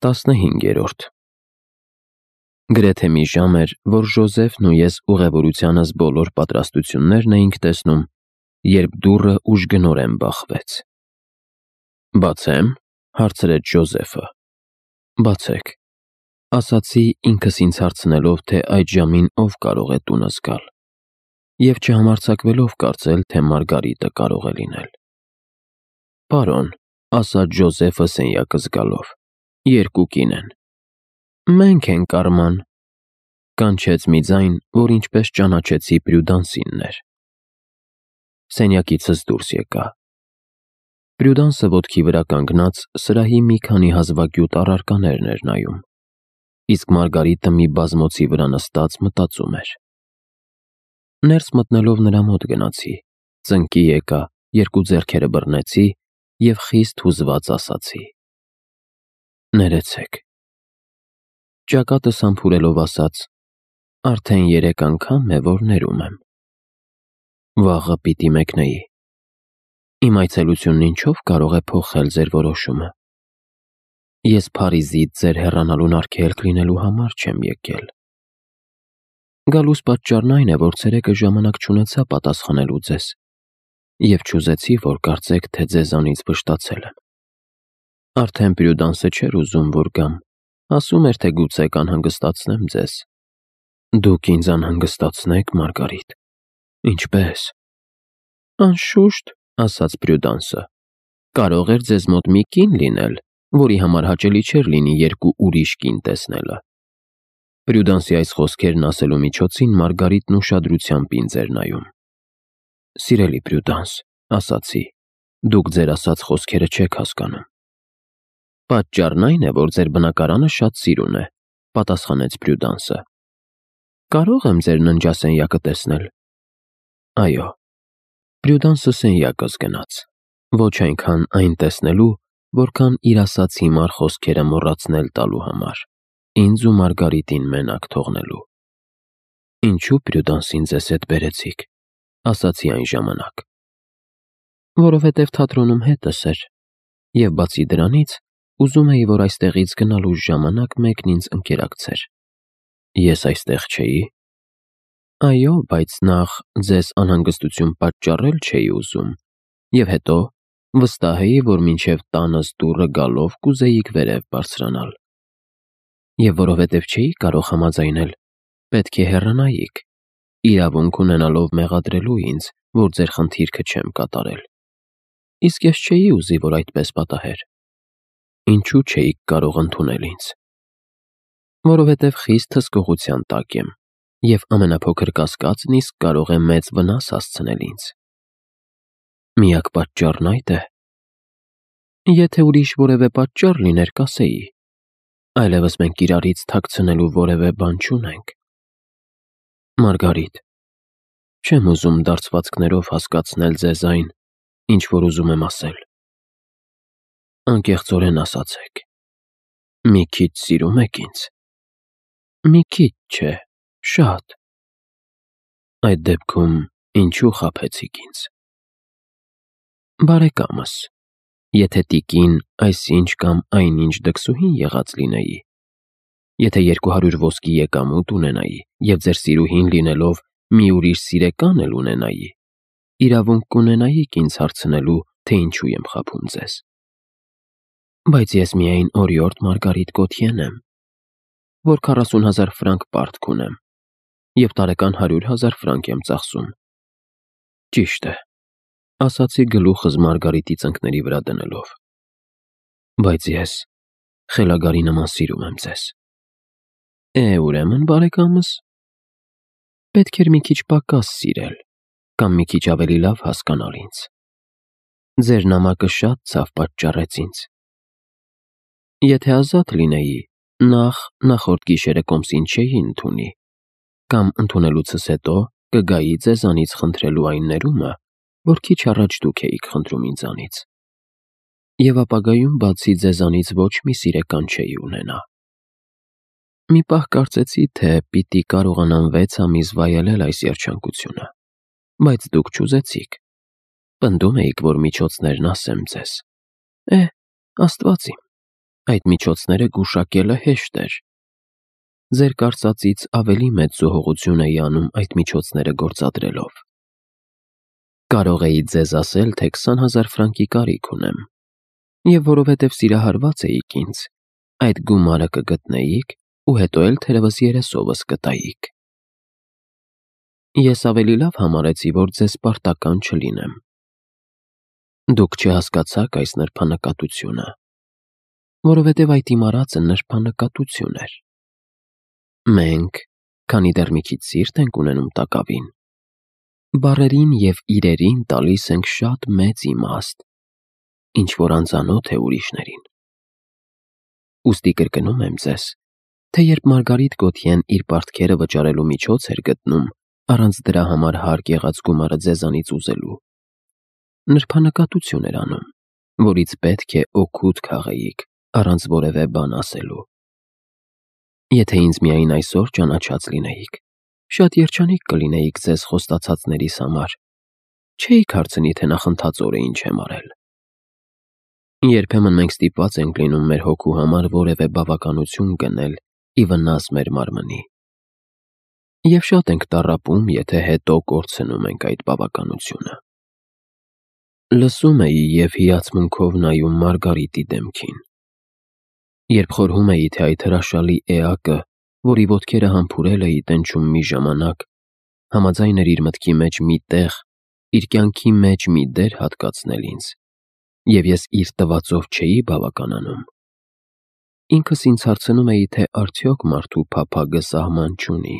15-րդ Գրեթե մի ժամ էր, որ Ժոզեֆն ու ես ուղևորությանս բոլոր պատրաստություններն էինք տեսնում, երբ դուռը ուժգնորեն բախվեց։ «Բացե՞մ», հարցրեց Ժոզեֆը։ «Բացեք», ասացի ինքս ինձ հարցնելով, թե այդ ժամին ով կարող է տունս գալ, և չհամարձակվելով կարծել, թե Մարգարիտը կարող է լինել։ «Պարոն», ասաց Ժոզեֆը սենյակս գալով, «երկու կին են»։ «Մենք ենք, Արման», կանչեց մի ձայն, որ ինչպես ճանաչեցի Պրյուդանսինն էր։ Սենյակիցս դուրս եկա։ Պրյուդանսը ոտքի վրա կանգնած սրահի մի քանի հազվագյուտ առարկաներն էր նայում, իսկ Մարգարիտը մի բազմոցի վրա նստած մտածում էր։ Ներս մտնելով նրա մոտ գնացի, ծնկի եկա, երկու ձեռքերը բռնեցի և խիստ հուզված ասացի. «Ներեցեք»։ Ճակատս համբուրելով ասաց. «Արդեն 3 անգամ է, որ ներում եմ»։ «Վաղը պիտի մեկնեի»։ «Իմ այցելությունն ինչով կարող է փոխել ձեր որոշումը»։ «Ես Փարիզից ձեր հեռանալուն արգելք լինելու համար չեմ եկել»։ «Գալուս պատճառն այն է, որ ցերեկը ժամանակ չունեցա պատասխանելու ձեզ, և չուզեցի, որ կարծեք, թե ձեզանից վշտացել եմ»։ Արդեն Պրյուդանսը չէր ուզում, որ գամ, ասում էր, թե գուցե կանհանգստացնեմ ձեզ։ «Դուք ինձ անհանգստացնեք, Մարգարիտ»։ «Ինչպե՞ս»։ «Անշուշտ», ասաց Պրյուդանսը, «կարող էր ձեզ մոտ մի կին լինել, որի համար հաճելի չէր լինի երկու ուրիշ կին տեսնելը»։ Պրյուդանսի այս խոսքերն ասելու միջոցին Մարգարիտն ուշադրությամբ ինձ էր նայում։ «Սիրելի Պրյուդանս», ասացի, «դուք ձեր ասած խոսքերը չեք հասկանում»։ «Պատճառն այն է, որ ձեր բնակարանը շատ սիրուն է», պատասխանեց Պրյուդանսը։ «Կարո՞ղ եմ ձեր ննջասենյակը տեսնել»։ «Այո»։ Պրյուդանսը սենյակս գնաց, ոչ այնքան այն տեսնելու, որքան իր ասած հիմար խոսքերը մոռացնել տալու համար, ինձ ու Մարգարիտին մենակ թողնելու։ «Ինչու Պրյուդանսին ձեզ հետ բերեցիք», ասացի այն ժամանակ։ «Որովհետև թատրոնում հետս էր, և բացի դրանից, ուզում էի, որ այստեղից գնալուս ժամանակ մեկն ինձ ընկերակցեր»։ «Ես այստեղ չէի»։ «Այո, բայց նախ ձեզ անհանգստություն պատճառել չէի ուզում, և հետո վստահ էի, որ մինչև տանս դուռը գալով կուզեիք վերև բարձրանալ։ Եվ որովհետև չէի կարող համաձայնել, պետք է հեռանայիք, իրավունք ունենալով մեղադրելու ինձ, որ ձեր խնդիրքը չեմ կատարել։ Իսկ ես չէի ուզի, որ այդպես պատահեր»։ «Ինչու չէիք կարող ընդունել ինձ»։ «Որովհետև խիստ հսկողության տակ եմ, և ամենափոքր կասկածն իսկ կարող է մեծ վնաս հասցնել ինձ»։ «Միակ պատճառն այդ է»։ «Եթե ուրիշ որևէ պատճառ լիներ, կասեի։ Այլևս մենք իրարից թաքցնելու որևէ բան չունենք»։ «Մարգարիտ, չեմ ուզում դարձվածքներով հասկացնել ձեզ այն, ինչ որ ուզում եմ ասել։ Անկեղծորեն ասացեք, մի քիչ սիրում եք ինձ»։ «Մի քիչ չէ, շատ»։ «Այդ դեպքում ինչու խաբեցիք ինձ»։ «Բարեկամս, եթե տիկին այսինչ կամ այնինչ դքսուհին եղած լինեի, եթե 200 ոսկի եկամուտ ունենայի և ձեր սիրուհին լինելով մի ուրիշ սիրեկան էլ ունենայի, իրավունք կունենայիք ինձ հարցնելու, թե ինչու եմ խաբում ձեզ։ Բայց ես միայն օրիորդ Մարգարիտ Գոթյեն եմ, որ 40,000 ֆրանկ պարտք ունեմ և տարեկան 100,000 ֆրանկ եմ ծախսում»։ «Ճիշտ է», ասացի գլուխս Մարգարիտի ծնկների վրա դնելով, «բայց ես խելագարի նման սիրում եմ ձեզ»։ Ուրեմն, բարեկամս, պետք էր մի քիչ պակաս սիրել, կամ մի քիչ ավելի լավ հասկանալ ինձ։ Ձեր նամակը շատ ցավ պատճառեց ինձ։ Եթե ազատ լինեի, նախորդ գիշերը կոմսին չէի ընդունի, կամ ընդունելուցս հետո կգայի ձեզանից խնդրելու այն ներումը, որ քիչ առաջ դուք էիք խնդրում ինձանից, և ապագայում բացի ձեզանից ոչ մի սիրեկան չէի ունենա։ Մի պահ կարծեցի, թե պիտի կարողանամ 6 ամիս վայելել այս երջանկությունը, բայց դուք չուզեցիք։ Պնդում էիք, որ միջոցներն ասեմ ձեզ։ Աստված իմ, այդ միջոցները գուշակելը հեշտ էր։ Ձեր կարծածից ավելի մեծ զոհողություն էի անում այդ միջոցները գործադրելով։ Կարող էի ձեզ ասել, թե 20,000 ֆրանկի կարիք ունեմ, և որովհետև սիրահարված էիք ինձ, այդ գումարը կգտնեիք ու հետո էլ թերևս երեսովս կտայիք։ Ես ավելի լավ համարեցի, որ ձեզ պարտական չլինեմ։ Դուք չհասկացաք այս նրբանկատությունը, որովհետև այդ իմ արածը նրբանկատություն էր։ Մենք, քանի դեռ մի քիչ սիրտ ենք ունենում տակավին, բառերին և իրերին տալիս ենք շատ մեծ իմաստ, ինչ որ անծանոթ է ուրիշներին։ Ուստի կրկնում եմ ձեզ, թե երբ Մարգարիտ Գոթյեն իր պարտքերը վճարելու միջոց էր գտնում, առանց դրա համար հարկ եղած գումարը ձեզանից ուզելու, նրբանկատություն էր անում, որից պետք է օգուտ քաղեիք, առանց որևէ բան ասելու։ Եթե ինձ միայն այսօր ճանաչած լինեիք, շատ երջանիկ կլինեիք ձեզ խոստացածներիս համար, չէիք հարցնի, թե նախընթացորը ինչ եմ արել։ Երբեմն մենք ստիպված ենք լինում մեր հոգու համար որևէ բավականություն գնել ի վնաս մեր մարմնի։ Եվ շատ ենք տառապում, եթե հետո կորցնում ենք այդ բավականությունը։ Լսում էի և հիացմունքով նայում Մարգարիտի դեմքին։ Երբ խորհում էի, թե այդ հրաշալի էակը, որի ոտքերը համբուրել էի տենչում մի ժամանակ, համաձայն էր իր մտքի մեջ մի տեղ, իր կյանքի մեջ մի դեր հատկացնել ինձ, և ես իր տվածով չէի բավականանում, ինքս ինձ հարցնում էի, թե արդյոք մարդու փափագը սահման չունի,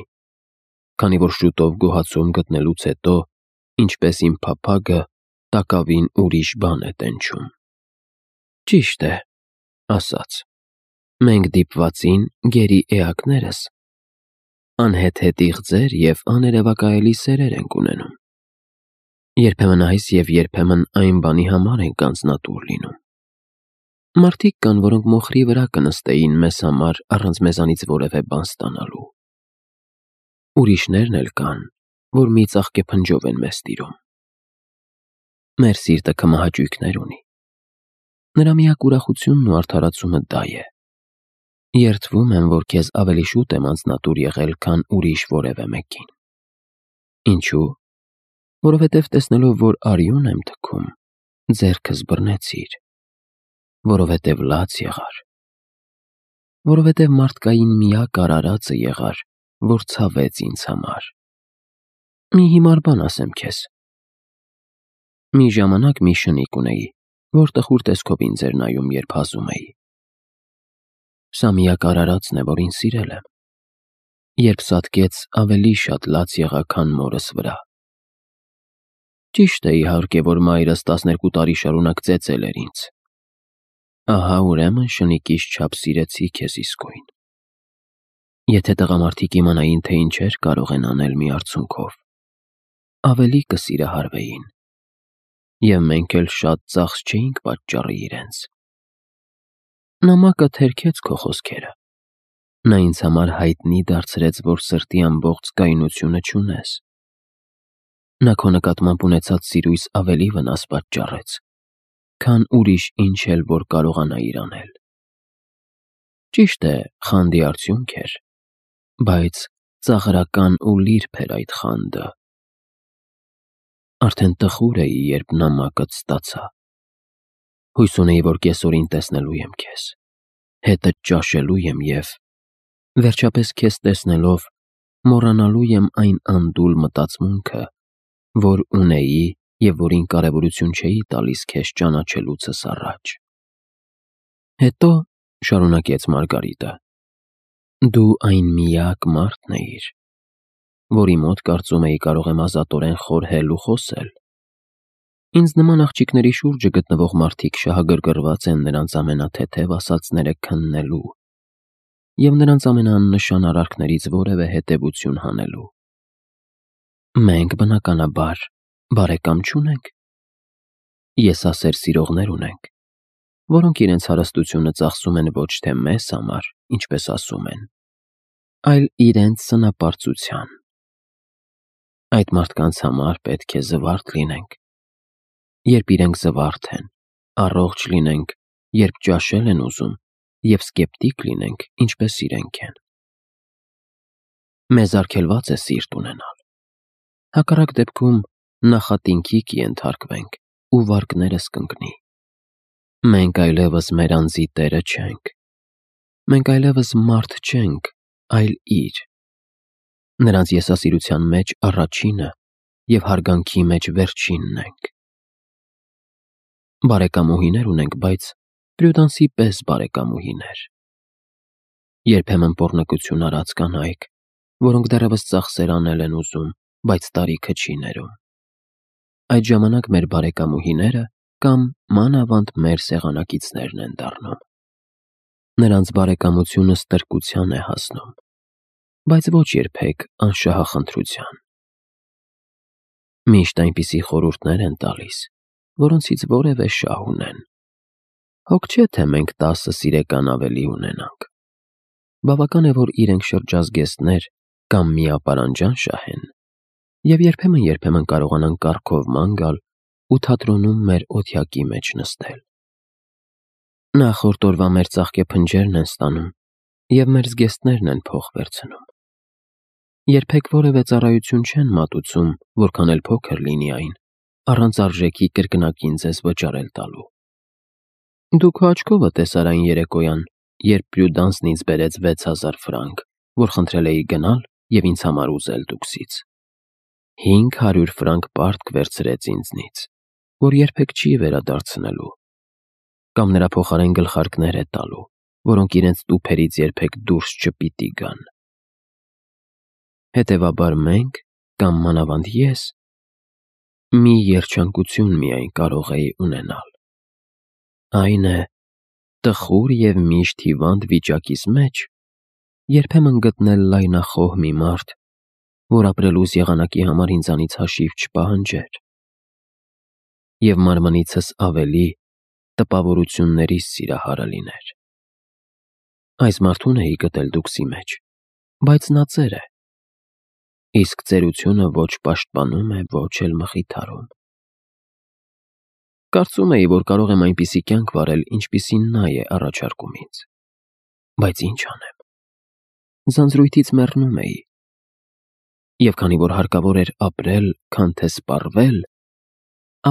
քանի որ շուտով գոհացում գտնելուց հետո, ինչպես իմ փափագը, տակավին ուրիշ բան է տենչում։ Ճիշտ է, ասաց, մենք դիպվածին գերի էակներս, անհեթեթ իղձեր և աներևակայելի սերեր ենք ունենում։ Երբեմն այս և երբեմն այն բանի համար ենք անձնատուր լինում։ Մարդիկ կան, որոնք մոխրի վրա կնստեին մեզ համար առանց մեզանից որևէ բան ստանալու։ Ուրիշներն էլ կան, որ մի ծաղկեփնջով են մեզ տիրում։ Մեր սիրտը քմահաճույքներ ունի։ Նրա միակ ուրախությունն ու արդարացումը դա է։ Երդվում եմ, որ քեզ ավելի շուտ եմ անձնատուր եղել, քան ուրիշ որևէ մեկին։ Ինչու՞։ Որովհետև տեսնելով, որ արյուն եմ թքում, ձեռքս բռնեցիր, որովհետև լաց եղար, որովհետև մարդկային միակ արարածը եղար, որ ցավեց ինձ համար։ Մի հիմար բան ասեմ քեզ։ Մի ժամանակ մի շնիկ ունեի, որ տխուր տեսքով ինձ էր նայում, երբ հազում էի։ Սա միակ արարածն է, որ ինձ սիրել եմ։ Երբ սատկեց, ավելի շատ լաց եղա, քան մորս վրա։ Ճիշտ է, իհարկե, որ մայրս 12 տարի շարունակ ծեծել էր ինձ։ Ահա ուրեմն շնիկիս չափ սիրեցի քեզ իսկույն։ Եթե տղամարդիկ իմանային, թե ինչեր կարող են անել մի արցունքով, ավելի կսիրահարվեին, և մենք էլ շատ ծախս չէինք պատճառի իրենց։ Նամակը թերքեց քո խոսքերը։ Նա ինձ համար հայտնի դարձրեց, որ սրտի ամբողջ կայունությունը չունես։ Նա քո նկատմամբ ունեցած սիրույց ավելի վնաս պատճառեց, քան ուրիշ ինչ էլ որ կարողանայիր անել։ Ճիշտ է, խանդի արդյունք էր, բայց ծաղրական ու լիրբ էր այդ խանդը։ Արդեն տխուր էի, երբ նամակդ ստացա։ Հույս ունեի, որ կեսօրին տեսնելու եմ քեզ, հետդ ճաշելու եմ և, վերջապես քեզ տեսնելով, մոռանալու եմ այն անդուլ մտածմունքը, որ ունեի և որին կարևորություն չէի տալիս քեզ ճանաչելուցս առաջ։ Հետո, շարունակեց Մարգարիտը, դու այն միակ մարդն էիր, որի մոտ կարծում էի կարող եմ ազատորեն խորհել ու խոսել։ Ինձ նման աղջիկների շուրջը գտնվող մարդիկ շահագրգռված են նրանց ամենաթեթև ասածները քննելու և նրանց ամենաաննշան արարքներից որևէ հետևություն հանելու։ Մենք, բնականաբար, բարեկամ չունենք։ Եսասեր սիրողներ ունենք, որոնք իրենց հարստությունը ծախսում են ոչ թե մեզ համար, ինչպես ասում են, այլ իրենց սնապարծության։ Այդ մարդկանց համար պետք է զվարթ լինենք, երբ իրենք զվարթ են, առողջ լինենք, երբ ճաշել են ուզում և սկեպտիկ լինենք, ինչպես իրենք են։ Մեզ արգելված է սիրտ ունենալ։ Հակառակ դեպքում նախատինքի կենթարկվենք ու վարկներս կընկնի։ Մենք այլևս մեր անձի տերը չենք։ Մենք այլևս մարդ չենք, այլ իր։ Նրանց եսասիրության մեջ առաջինը և հարգանքի մեջ վերջինն ենք։ Բարեկամուհիներ ունենք, բայց Պրյուդանսի պես բարեկամուհիներ։ Երբեմն պոռնկություն արած կանայք, որոնք դեռևս ծախսեր անել են ուզում, բայց տարիքը չի ներում։ Այդ ժամանակ մեր բարեկամուհիները կամ մանավանդ մեր սեղանակիցներն են դառնում։ Նրանց բարեկամությունը ստրկության է հասնում, բայց ոչ երբեք անշահախնդրության։ Միշտ այնպիսի խորհուրդներ են տալիս, որոնցից որևէ շահ ունեն։ Հոգ չէ, թե մենք 10 սիրեկան ավելի ունենանք։ Բավական է, որ իրենք շրջազգեստներ կամ միապարանջան շահեն, և երբեմն կարողանան կառքով ման գալ ու թատրոնում մեր օթյակի մեջ նստել։ Նախորդ օրվա մեր ծաղկեփնջերն են ստանում և մեր զգեստներն են փող վերցնում։ Երբեք որևէ ծառայություն չեն մատուցում, որքան էլ փոքր լինի այն, առանց արժեքի կրկնակին ձեզ վճարել տալու։ Դու քո աչքովը տեսար այն երեկոյան, երբ Պրյուդանսն ինձ բերեց 6000 ֆրանկ, որ խնդրել էի գնալ և ինձ համար ուզել տուքսից։ 500 ֆրանկ պարտք վերցրեց ինձնից, որ երբեք չի վերադարձնելու, կամ նրա փոխարեն գլխարկներ է տալու, որոնք իրենց տուփերից երբեք դուրս չպիտի գան։ Հետևաբար մենք, կամ մանավանդ ես, մի երջանկություն միայն կարող էի ունենալ։ Այն է, տխուր և միշտ հիվանդ վիճակիս մեջ երբեմն գտնել լայնախոհ մի մարդ, որ ապրելուս եղանակի համար ինձանից հաշիվ չպահանջեր, և մարմնիցս ավելի տպավորություններիս սիրահարը լիներ։ Այս մարդուն էի գտել տուքսի մեջ, բայց նա ծեր է, իսկ ծերությունը ոչ պաշտպանում է, ոչ էլ մխիթարում։ Կարծում էի, որ կարող եմ այնպիսի կյանք վարել, ինչպիսին նա է առաջարկում ինձ, բայց ինչ անեմ։ Ձանձրույթից մեռնում էի, և քանի որ հարկավոր էր ապրել, քան թե սպառվել,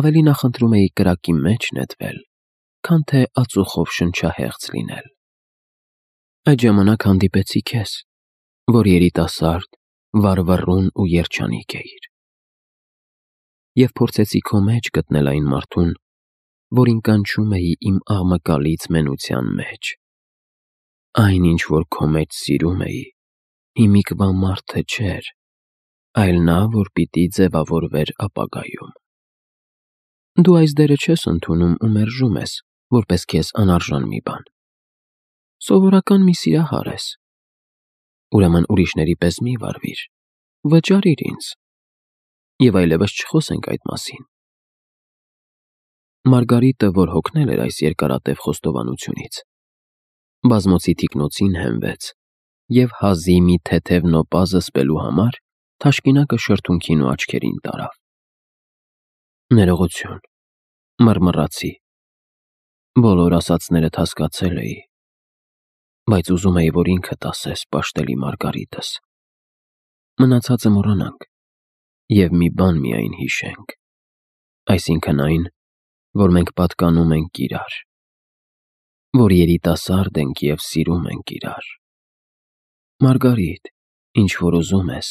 ավելի նախընտրում էի կրակի մեջ նետվել, քան թե ածուխով շնչահեղձ լինել։ Այդ ժամանակ հանդիպեցի քեզ, որ երիտասարդ, վառվռուն ու երջանիկ էիր, և փորձեցի քո մեջ գտնել այն մարդուն, որին կանչում էի իմ աղմկալից մենության մեջ։ Այն, ինչ որ քո մեջ սիրում էի, հիմիկվա մարդը չէր, այլ նա, որ պիտի ձևավորվեր ապագայում։ Դու այս դերը չես ընդունում ու մերժում ես, որպես քեզ անարժան մի բան։ Սովորական մի սիրահար ես։ Ուրեմն ուրիշների պես մի վարվիր, վճարիր ինձ, և այլևս չխոսենք այդ մասին։ Մարգարիտը, որ հոգնել էր այս երկարատև խոստովանությունից, բազմոցի թիկնոցին հենվեց և հազի մի թեթև նոպա զսպելու համար թաշկինակը շրթունքին ու աչքերին տարավ։ Ներողություն, մռմռացի։ Բոլոր ասածներդ հասկացել էի, բայց ուզում էի, որ ինքդ ասես, պաշտելի Մարգարիտս։ Մնացածը մոռանանք և մի բան միայն հիշենք, այսինքն այն, որ մենք պատկանում ենք իրար, որ երիտասարդ ենք և սիրում ենք իրար։ Մարգարիտ, ինչ որ ուզում ես,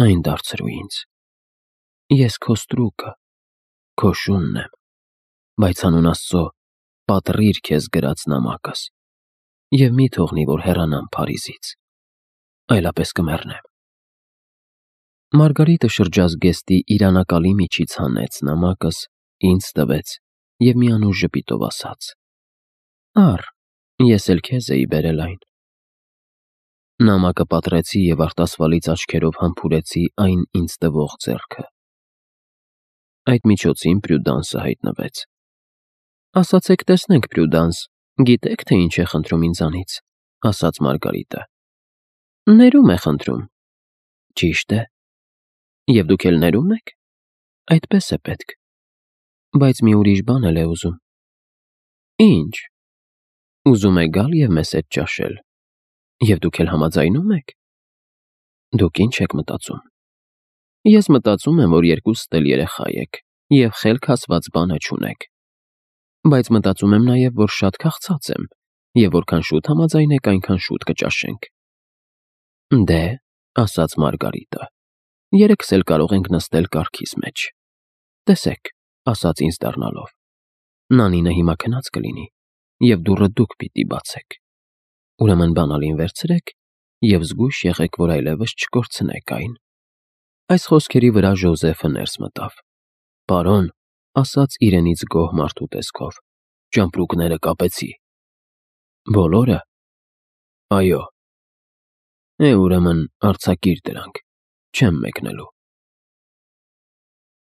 այն դարձրու ինձ։ Ես քո ստրուկը, քո շունն եմ, բայց հանուն Աստծո պատռիր քեզ գրած նամակս և մի թողնի, որ հեռանամ Փարիզից, այլապես կմեռնեմ։ Մարգարիտը շրջազգեստի իրանակալի միջից հանեց նամակս, ինձ տվեց և մի անուշ ժպիտով ասաց. «Առ, ես էլ քեզ էի բերել այն»։ Նամակը պատռեցի և արտասվալից աչքերով համբուրեցի այն ինձ տվող ձեռքը։ Այդ միջոցին Պրյուդանսը հայտնվեց։ «Ասացեք տեսնենք, Պրյուդանս, գիտեք, թե ինչ է խնդրում ինձանից», ասաց Մարգարիտը։ «Ներում է խնդրում»։ Ճիշտ է։ Եվ դուք էլ ներում եք։ Այդպես է պետք։ Բայց մի ուրիշ բան էլ է ուզում։ Ինչ։ Ուզում եք գալ և մեզ հետ ճաշել։ Եվ դուք էլ համաձայնում եք։ Դուք ինչ եք մտածում։ Ես մտածում եմ, որ երկուսդ էլ երեխա եք և խելք հասված բանը չունեք։ Բայց մտածում եմ նաև, որ շատ քաղցած եմ, և որքան շուտ համաձայնեք, այնքան շուտ կճաշենք։ Դե, ասաց Մարգարիտը, երեքս էլ կարող ենք նստել կառքիս մեջ։ Տեսեք, ասաց ինձ դառնալով, Նանինը հիմա քնած կլինի, և դուռը դուք պիտի բացեք։ Ուրեմն բանալին վերցրեք և զգույշ եղեք, որ այլևս չկորցնեք այն։ Այս խոսքերի վրա Ժոզեֆը ներս մտավ։ Պարոն, ասաց իրենից գոհ մարդու տեսքով, ճամպրուկները կապեցի։ Բոլորը։ Այո։ Ուրեմն արձակիր դրանք, չեմ մեկնելու։